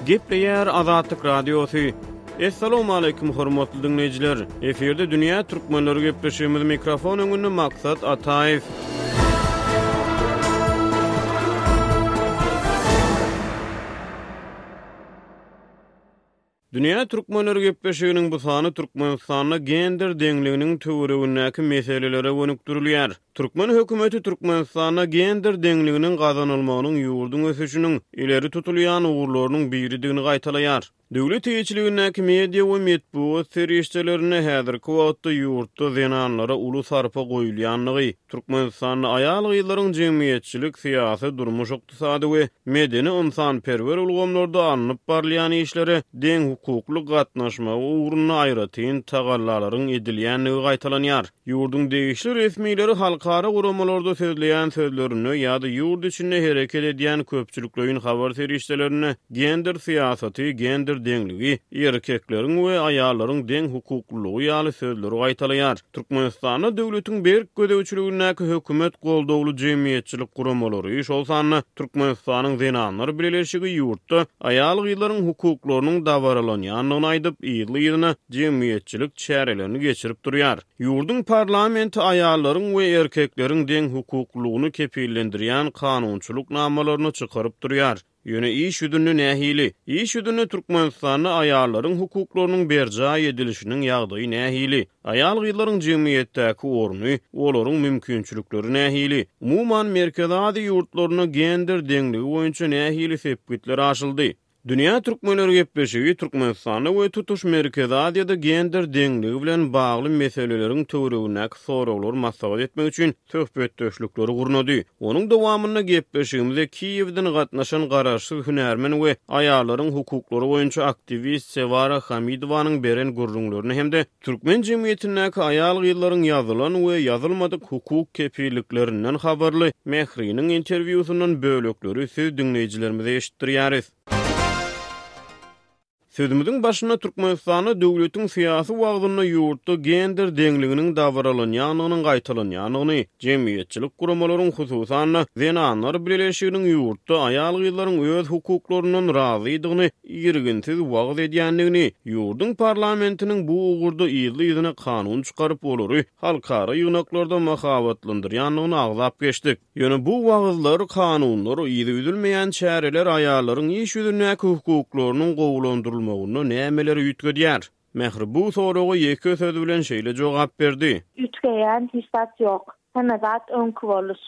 Gepleýär Azatlyk Radiosy. Essalawmaleýkim hormatly diňleýjiler! Efirde dünýä türkmenleri gepleşigimiz mikrofon öňünde Maksat Ataýew. Dünýä türkmenleri gepleşiginiň bu sany Türkmenistanda gender deňliginiň töweregindäki meselelere gönükdirilýär. Türkmen hökümeti Türkmenistanda gender deňliginiň gazanylmagynyň ýurduň ösüşiniň ileri tutulýan ugurlarynyň biridigini gaýtalaýar. Döwlet eýeçiligindäki media we metbugat serişdelerinde häzirki wagtda ýurtda zenanlara uly sarpa goýulýandygy, Türkmenistanda aýal-gyzlaryň jemgyýetçilik, syýasy, durmuş-ykdysady we medeni-ynsanperwer ulgamlarda alnyp barylýan işlere deňhukukly gatnaşmagy ugrunda aýratyn tagallalaryň edilýändigi gaýtalanýar. Ýurduň degişli resmileri halkara guramalarda sözleýän sözlerinde ýa-da ýurt içinde hereket edýän köpçülikleýin habar serişdelerinde gender syýasaty, gender deňligi, erkekleriň we aýallaryň deň hukuklylygy ýaly sözleri gaýtalaýar. Türkmenistanda döwletiň berk gözegçiligindäki hökümet goldawly jemgyýetçilik guramalary, şol sanda Türkmenistanyň Zenanlar bileleşigi ýurtda aýal-gyzlaryň hukuklarynyň dabaralanýandygyny aýdyp, yzly-yzyna jemgyýetçilik çärelerini geçirip durýar. Ýurduň parlamenti aýallaryň we erkekleriň deňhukuklylygyny kepillendirýän kanunçylyk namalaryny çykaryp durýar. Ýöne iş ýüzünde nähili? Iş ýüzünde Türkmenistanda aýallaryň hukuklarynyň berjaý edilişiniň ýagdaýy nähili? Aýal-gyzlaryň jemgyýetdäki orny, olaryň mümkinçilikleri nähili? Umuman, Merkezi Aziýa ýurtlarynda gender deňligi boýunça nähili sepgitler aşyldy? Dünýä türkmenleri gepleşigi Türkmenistanda we tutuş Merkezi Aziýada gender deňligi bilen bagly meseleleriň töweregindäki soraglary maslahat etmek üçin söhbetdeşlikleri gurnady. Onuň dowamynda gepleşigimize Kiýewden gatnaşan garaşsyz hünärmen we aýallaryň hukuklary boýunça aktiwist Sewara Hamidowanyň beren gürrüňlerini hem-de türkmen jemgyýetindäki aýal-gyzlaryň ýazylan we ýazylmadyk hukuk kepilliklerinden habarly Mähriniň interwýusyndan bölekleri siz diňleýjilerimize eşitdirýäris. Sözümiziň başynda Türkmenistanda döwletiň syýasy wagzynda ýurtda gender deňliginiň dabaralanýandygynyň gaýtalanýandygyny, jemgyýetçilik guramalaryň, hususan-da, Zenanlar bileleşiginiň ýurtda aýal-gyzlaryň öz hukuklaryndan razydygyny irginsiz wagyz edýändigini, ýurduň parlamentiniň bu ugurda yzly-yzyna kanun çykaryp, olary halkara ýygnaklarda mahabatlandyrýandygyny agzap geçdik. Ýöne bu wagyzlar, kanunlar, yzy üzülmeýän çäreler aýallaryň iş ýüzündäki hukuklarynyň gowulandyrylmagynda nämeleri üýtgedýär? Mähri bu soraga ýeke söz bilen şeýle jogap berdi. Üýtgeýän hiç zat ýok. Hemme zat öňki boluş.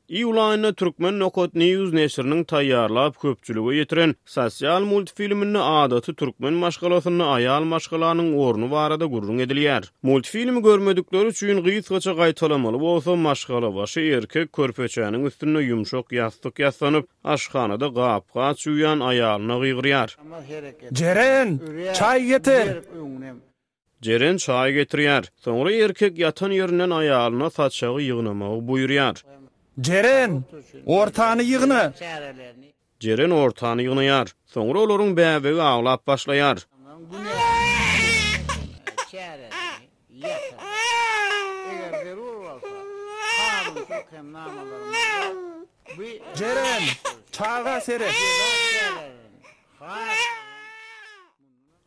Iýul aýynda Turkmen Nokat News neşiriniň taýýarlap köpçülige ýetiren Sosial multfilminde adaty türkmen maşgalasynda aýal maşgalanyň orny barada gürrüň edilýär. Multfilmi görmedikler üçin gysgaça gaýtalamaly bolsa, maşgalabaşy erkek körpeçäniň üstünde ýumşak ýassyk ýassanyp, aşhanada gap-gaç ýuwýan aýalyna gygyrýar. Jeren, çaý getir! Jeren çaý getirýär. Soňra erkek ýatan ýerinden aýalyna saçagy ýygnamagy buýurýar. Jeren, ortany ýygna! Jeren ortany ýygnaýar. Soňra olaryň bäbegi aglap başlaýar. Jeren, çaga seret!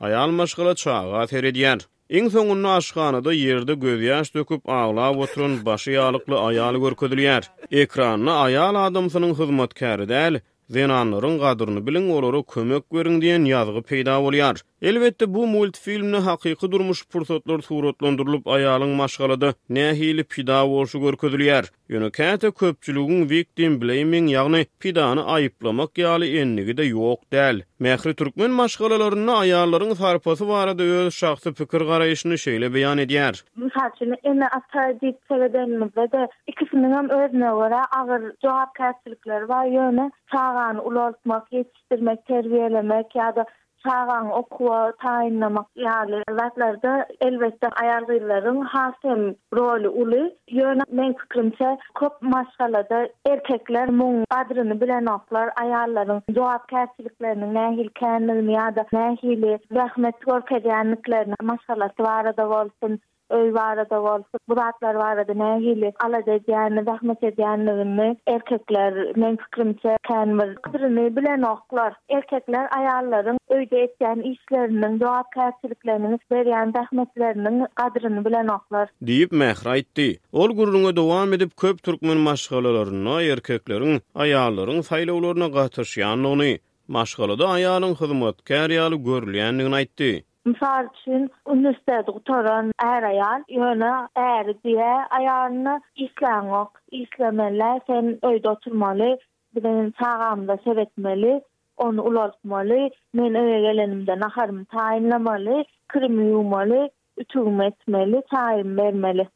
Aýal maşgala çaga seredýär. Iň soňunda aşhanada ýerde gözýaş döküp aglap oturan başy ýalykly aýal görkezilýär. Ekranda aýal adamsynyň hyzmatkäri däl, zenanlaryň gadyryny biliň olara kömek beriň diýen ýazgy peýda bolýar. Elbetde bu multfilmde hakyky durmuş pursatlar suratlandyrylyp aýalyň maşgalada nähili pida bolşy görkezilýär. Ýöne käte köpçüligiň victim blaming ýagny pidany aýyplamak ýaly endigi-de ýok däl. Mähri türkmen maşgalalarynda aýallaryň sarpasy barada öz şahsy pikir-garaýşyny şeýle beýan edýär. Mysal üçin, ene-ata diýip seredenimizde-de, ikisiniňem özüne görä agyr jogapkärçilikleri bar, ýöne çagany ulaltmak, ýetişdirmek, terbiýelemek ýa-da Çagaňy okuwa taýynlamak ýaly zatlarda elbetde aýal-gyzlaryň has hem roly uly. Ýöne meň pikirimçe köp maşgalada erkekler muň gadryny bilenoklar, aýallaryň jogapkärçilikleriniň nähili kändigini ýa-da nähili zähmet görkezýändiklerini maşgalasy barada bolsun. Öý barada bolsun, bu zatlar barada nähili alada edýänini, zähmet edýänligini erkekler, meň pikirimçe, kän bir gadyryny bilenoklar. Erkekler aýallaryň öýde etýän işleriniň, jogapkärçilikleriniň, berýän zähmetleriniň gadryny bilenoklar. Diýip, Mähri aýtdy. Ol gürrüňe dowam edip, köp türkmen maşgalalarynda erkekleriň aýallaryň saýlawlaryna gatyşýandygyny, maşgalada aýalyň hyzmatkär ýaly görülýändigini aýtdy. Mysal üçin, uniwersiteti gutaran är-aýal, ýöne äri diýýär aýalyna, Işläňok, işlemeli, sen öýde oturmaly, biziň çagamyza seretmeli, ony ulaltmaly, men öýe gelenimde naharymy taýynlamaly, kirimi ýuwmaly, ütügimi etmeli, çaýymy bermeli.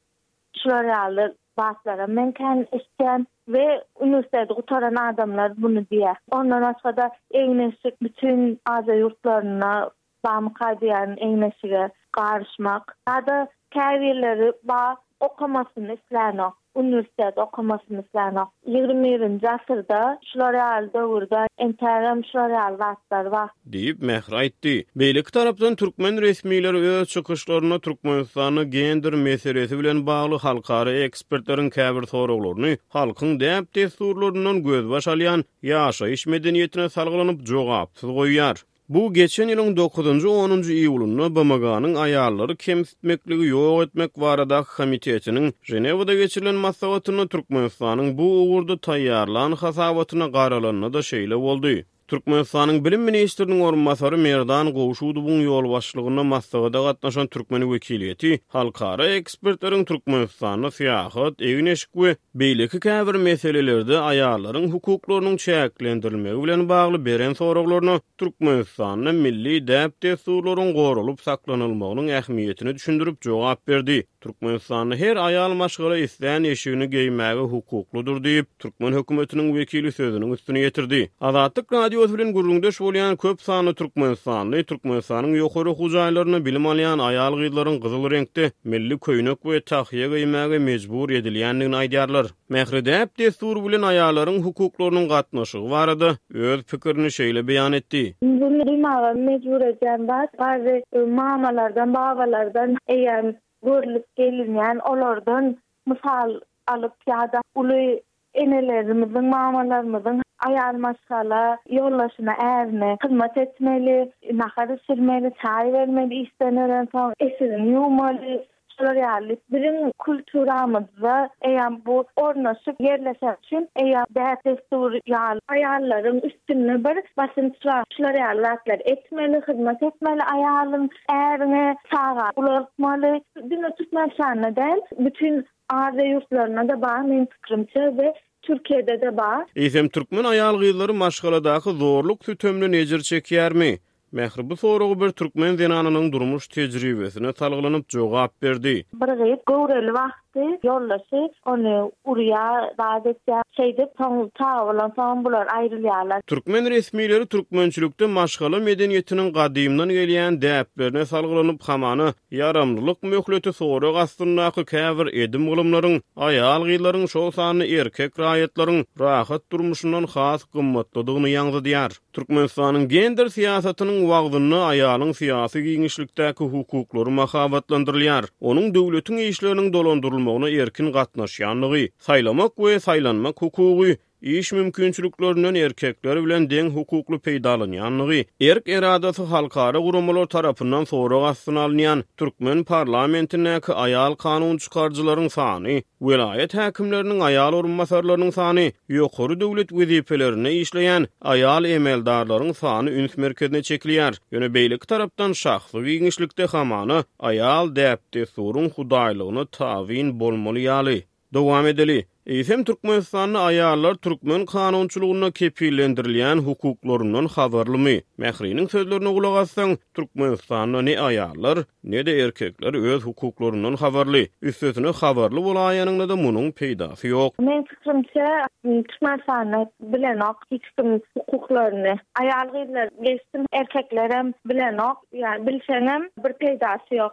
Şular ýaly zatlaram men kän eşitýän we uniwersiteti gutaran adamlar muny diýýär. Ondan başga-da egin-eşik bütin Aziýa ýurtlarynda bamyka diýýän egin-eşige garyşmak. Ýa-da käbirleri bar okamasyny islänok, uniwersitet okamasyny islänok. Ýigrimi birinji asyrda şular ýaly döwürde entägem şular ýaly zatlar bar. Diýip, Mähri aýtdy. Beýleki tarapdan, türkmen resmileri öz çykyşlarynda Türkmenistanda gender meselesi bilen bagly halkara ekspertleriň käbir soraglaryny halkyň däp-dessurlaryndan gözbaş alýan ýaşaýyş medeniýetine salgylanyp jogapsyz goýýar. Bu geçen ýylyň dokuzynjy-onunjy iýulynda BMG-niň aýallary kemsitmekligi ýok etmek baradaky komitetiniň Ženewada geçirilen maslahatynda Türkmenistanyň bu ugurda taýýarlan hasabatyna garalanda-da şeýle boldy. Türkmenistanyň bilim ministriniň orunbasary Merdan Gowşudowyň ýolbaşçylygynda maslahata gatnaşan türkmen wekiliýeti halkara ekspertleriň Türkmenistanda syýahat, egin-eşik we beýleki käbir meselelerde aýallaryň hukuklarynyň çäklendirilmegi bilen bagly beren soraglaryna Türkmenistanda milli däp-dessurlaryň goralyp saklanylmagynyň ähmiýetini düşündirip jogap berdi. Türkmenistanda her aýal maşgala islän eşigini geýmäge hukuklydyr diýip, türkmen hökümetiniň wekili sözüniň üstüni ýetirdi. Azatlyk Radiosy bilen gürrüňdeş bolýan köp sanly türkmenistanly Türkmenistanyň ýokary okuw jaýlarynda bilim alýan aýal-gyzlaryň gyzyl reňkde milli köýnek we tahýa geýmäge mejbur edilýändigini aýdýarlar. Mähri däp-dessur bilen aýallaryň hukuklarynyň gatnaşygy barada öz pikirini şeýle beýan etdi. Muny duýmaga mejbur edýän zat, garry mamalardan, babalardan eýýäm görlüp gelinýän, olardan mysal alyp ýa-da uly enelerimiziň, mamalarymyzyň aýal maşgala ýoldaşyna, ärine hyzmat etmeli, nahar bişirmeli, çaý bermeli işden gelensoň, eşigini ýuwmaly, Şolar ýaly biziň kulturamyzda eýýäm bu ornaşyp ýerleşen üçin eýýäm däp-dessur ýaly aýallaryň üstünde bir basynç bar. Şular ýaly zatlar etmeli, hyzmat etmeli aýalyň äriňe, çaga ulaltmaly. Diňe Türkmenistanda däl, bütin Aziýa ýurtlarynda-da bar meň pikirimçe we Türkiýede-de bar. Eýsem türkmen aýal-gyzlary maşgaladaky zorluk-sütemden ejir çekýärmi? Mähri bu soragy bir türkmen zenanynyň durmuş tejribesine salgylanyp jogap berdi. Bir gyz göwreli wagty ýoldaşy ony urýar, zat etýär. Şeýdip, soň çaga bolansoňam bular aýrylýarlar. Türkmen resmileri türkmençilikde maşgala medeniýetiniň gadymdan gelýän däplerine salgylanyp, hamana, ýaramlylyk möhleti sorag astyndaky käbir edim-gylymlaryň aýal-gyzlaryň, şol sanda erkek raýatlaryň rahat durmuşyndan has gymmatlydygyny ýaňzydýar. Türkmenistanyň gender syýasatynyň wagzynda aýalyň syýasy giňişlikdäki hukuklary mahabatlandyrylýar, onuň döwletiň işleriniň dolandyrylmagyna erkin gatnaşýandygy, saýlamak we saýlanmak hukugy, iş mümkinçiliklerinden erkekler bilen deň hukukly peýdalanýandygy, erk-eradasy halkara guramalar tarapyndan sorag astyna alynýan türkmen parlamentindäki aýal kanunçykaryjylaryň sany, Welaýat häkimleriniň aýal orunbasarlarynyň sany, ýokary döwlet wezipelerinde işleýän aýal emeldarlaryň sany üns merkezine çekilýär. Ýöne beýleki tarapdan şahsy giňişlikde hamana aýal däp-dessuryň hudaýlygyna tabyn bolmaly ýaly. Dowam edeli. Eýsem Türkmenistanda aýallar türkmen kanunçylygynda kepillendirilýän hukuklaryndan habarlymy? Mähriniň sözlerine gulak assaň, Türkmenistanda ne aýallar, Ne-de erkekler öz hukuklaryndan habarly. Üstesine habarly bolaýanyňda-da munuň peýdasy ýok. Meň pikirimçe Türkmenistanda bilenok hiç kim hukuklaryny. Aýal gyzlar geçsin erkeklerem bilenok. Ýa bilseňem bir peýdasy ýok.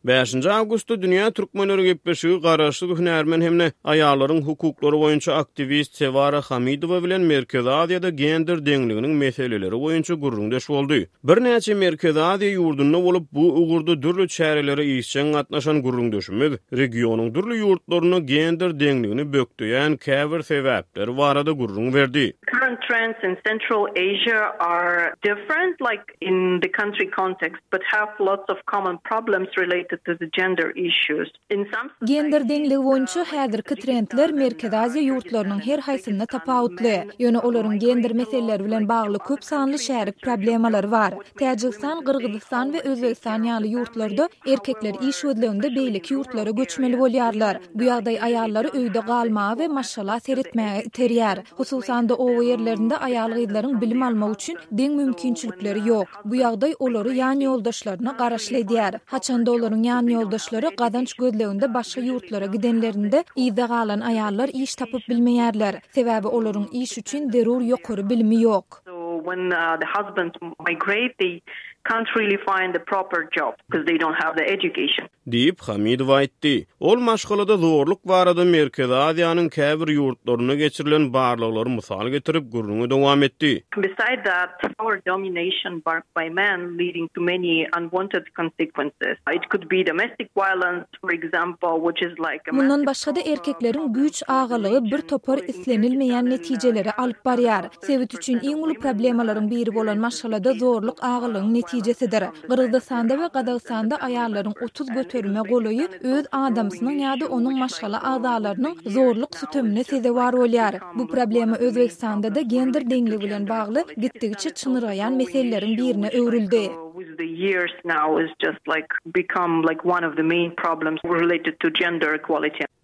Bäşinji awgustda Dünýä türkmenleri gepleşigi garaşsyz hünärmen hem-de aýallaryň hukuklary boýunça aktiwist Sewara Hamidowa bilen Merkezi Aziýada gender deňliginiň meseleleri boýunça gürrüňdeş boldy. Birnäçe Merkezi Aziýa ýurdunda bolup, bu ugurda dürli çärelere işjeň gatnaşan gürrüňdeşimiz regionyň dürli ýurtlarynda gender deňligini bökdeýän käbir sebäpler barada gürrüň berdi. Current trends in Central Asia are different, like in the country context, but have lots of common problems related to the gender issues. In some Gender deňligi boýunça häzirki trendler Merkezi Aziýa ýurtlarynyň her haýsynda tapawutly. Ýöne olaryň gender meseleleri bilen bagly köp sanly şärik problemalary bar. Täjigistan, Gyrgyzystan we Özbegistan ýaly ýurtlarda erkekler iş gözleginde beýleki ýurtlara göçmeli bolýarlar. Bu ýagdaý aýallary öýde galmaga we maşgala seretmäge iterýär. Hususan-da, oba ýerlerinde aýal-gyzlaryň bilim almak üçin deň mümkinçilikleri ýok. Bu ýagdaý olary ýanýoldaşlaryna garaşly edýär. Haçanda olaryň ýanýoldaşlary gazanç gözleginde başga ýurtlara gidenlerinde, yzda galan aýallar iş tapyp bilmeýärler. Sebäbi olaryň iş üçin zerur ýokary bilimi ýok. So when the husbands migrate, they can't really find the proper job because they don't have the education. Diýip, Hamidowa aýtdy. Ol maşgalada zorluk barada Merkezi Aziýanyň käbir ýurtlarynda geçirilen barlaglary mysal getirip, gürrüňi dowam etdi. Beside that, power domination by men leading to many unwanted consequences. It could be domestic violence, for example, which is like a Mundan başga-da, erkekleriň güýç agalygy bir topar islenilmeýän netijelere alyp barýar. Sebit üçin iň uly problemalaryň biri bolan maşgalada zorluk agalygyň netijesidir. Gyrgyzystanda we Gazagystanda aýallaryň 30 göterime golaýy öz adamsynyň ýa-da onuň maşgala agzalarynyň zorluk sütemine sezewar bolýar. Bu problema Özbegistanda-da gender deňligi bilen bagly gitdigiçe çynyrgaýan meseleleriň birine öwrüldi.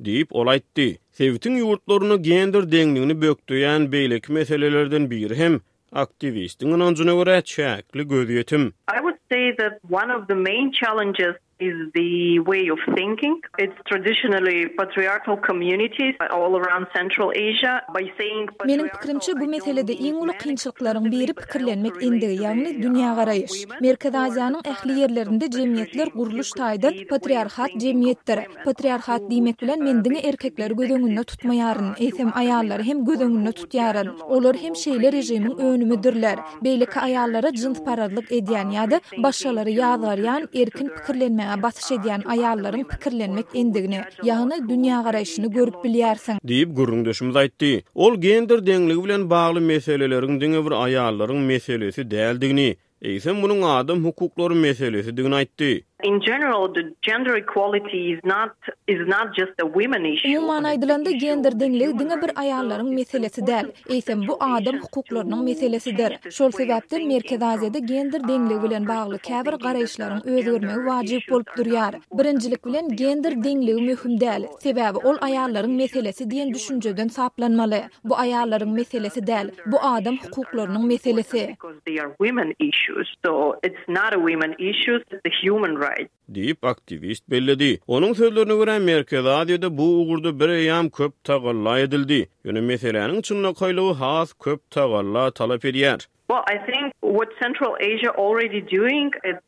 Diýip, ol aýtdy. Sebitiň ýurtlarynda gender deňligini bökdeýän beýleki meselelerden biri hem Aktiwistiň ynanjyna görä, çäkli gözýetim. I would say that one of the main challenges is the way of thinking. It's traditionally patriarchal communities all around Central Asia. By saying Meniň pikirimçe, bu meselede iň uly kynçylyklaryň biri pikirlenmek endigi, ýagny dünýägaraýyş. Merkezi Aziýanyň ähli ýerlerinde jemgyýetler gurluş taýdan patriarhat jemgyýetdir. Patriarhat diýmek bilen men diňe erkekleri göz öňünde tutmaýaryn, eýsem aýallary hem göz öňünde tutýaryn. Olar hem şeýle režimiň önümidirler. Beýleki aýallara jynsparazlyk edýän ýa-da başgalary ýazgarýan, erkin pikirlenmäge basyş edýän aýallaryň pikirlenmek endigini, ýagny dünýägaraýşyny görüp bilýärsiň. Diýip, gürrüňdeşimiz aýtdy. Ol gender deňligi bilen bagly meseleleriň diňe bir aýallaryň meselesi däldigini, Eýsem munuň adam hukuklary meselesidigini aýtdy. In general, the gender equality is not is not just a women issue. Umuman aýdylanda, gender deňligi diňe bir aýallaryň meselesi däl, eýsem bu adam hukuklarynyň meselesidir. Şol sebäpden Merkezi Aziýada gender deňligi bilen bagly käbir garaýyşlaryň özgermegi wajyp bolup durýar. Birinjilik bilen, gender deňligi möhüm däl, sebäbi ol aýallaryň meselesi diýen düşünjeden saplanmaly. Bu aýallaryň meselesi däl, bu adam hukuklarynyň meselesi. Diýip, aktiwist belledi. Onuň sözlerine görä, Merkezi Aziýada bu ugurda bireýýäm köp tagalla edildi. Ýöne meseläniň çynlakaýlygy has köp tagalla talap edýär. Well, I think what Central Asia already doing, it's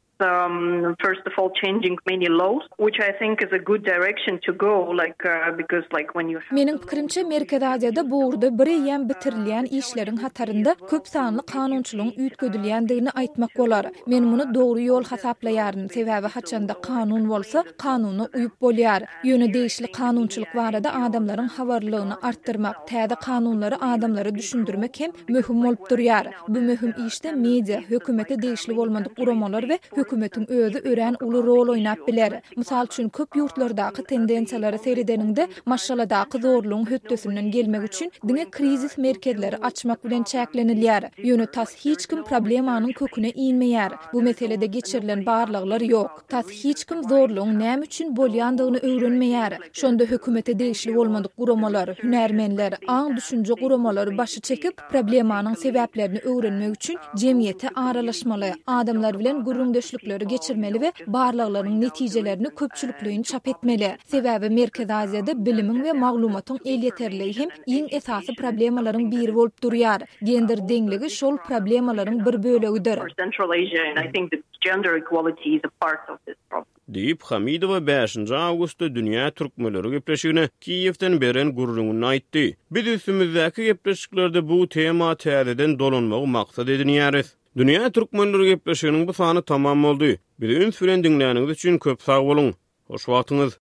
First of all changing many laws, which I think is a good direction to go, like because like when you have. Meniň pikirimçe, Merkezi Aziýada bu ugurda bireýýäm bitirilýän işleriň hatarynda köp sanly kanunçylygyň üýtgedilýändigini aýtmak bolar. Men muny dogry ýol hasaplaýaryn, sebäbi haçanda kanun bolsa, kanuna uýup bolýar. Ýöne degişli kanunçylyk barada adamlaryň habarlylygyny artdyrmak, täze kanunlary adamlara düşündirmek hem möhüm bolup durýar. Bu möhüm işde media, hökümete degişli bolmadyk guramalar we hökümetiň özi örän uly rol oýnap biler. Mysal üçin, köp ýurtlardaky tendensiýalara seredeniňde, maşgaladaky zorlugyň hötdesinden gelmek üçin diňe krizis merkezleri açmak bilen çäklenilýär. Ýöne tas hiç kim problemanyň köküne inmeýär. Bu meselede geçirilen barlaglar ýok. Tas hiç kim zorlugyň näme üçin bolýandygyny öwrenmeýär. Şonda hökümete degişli bolmadyk guramalar, hünärmenler, aň-düşünje guramalary başy çekip, Problemanyň sebäplerini öwrenmek üçin jemgyýete aralaşmaly, adamlar bilen gürrüňdeşlikleri geçirmeli we barlaglaryň netijelerini köpçülikleýin çap etmeli. Sebäbi Merkezi Aziýada bilimiň we maglumatyň elýeterligi hem iň esasy problemalaryň biri bolup durýar. Gender deňligi şol problemalaryň bir bölegidir. Diýip, Hamidowa bäşinji awgustda Dünýä türkmenleri gepleşigine Kiýewden beren gürrüňinde aýtdy. Biz üstümizdäki gepleşiklerde bu tema täzeden dolanmagy maksat edinýäris. Dünýä türkmenleri gepleşiginiň bu sany tamam boldy. Bizi üns bilen diňläniňiz üçin köp sag boluň. Hoş wagtyňyz.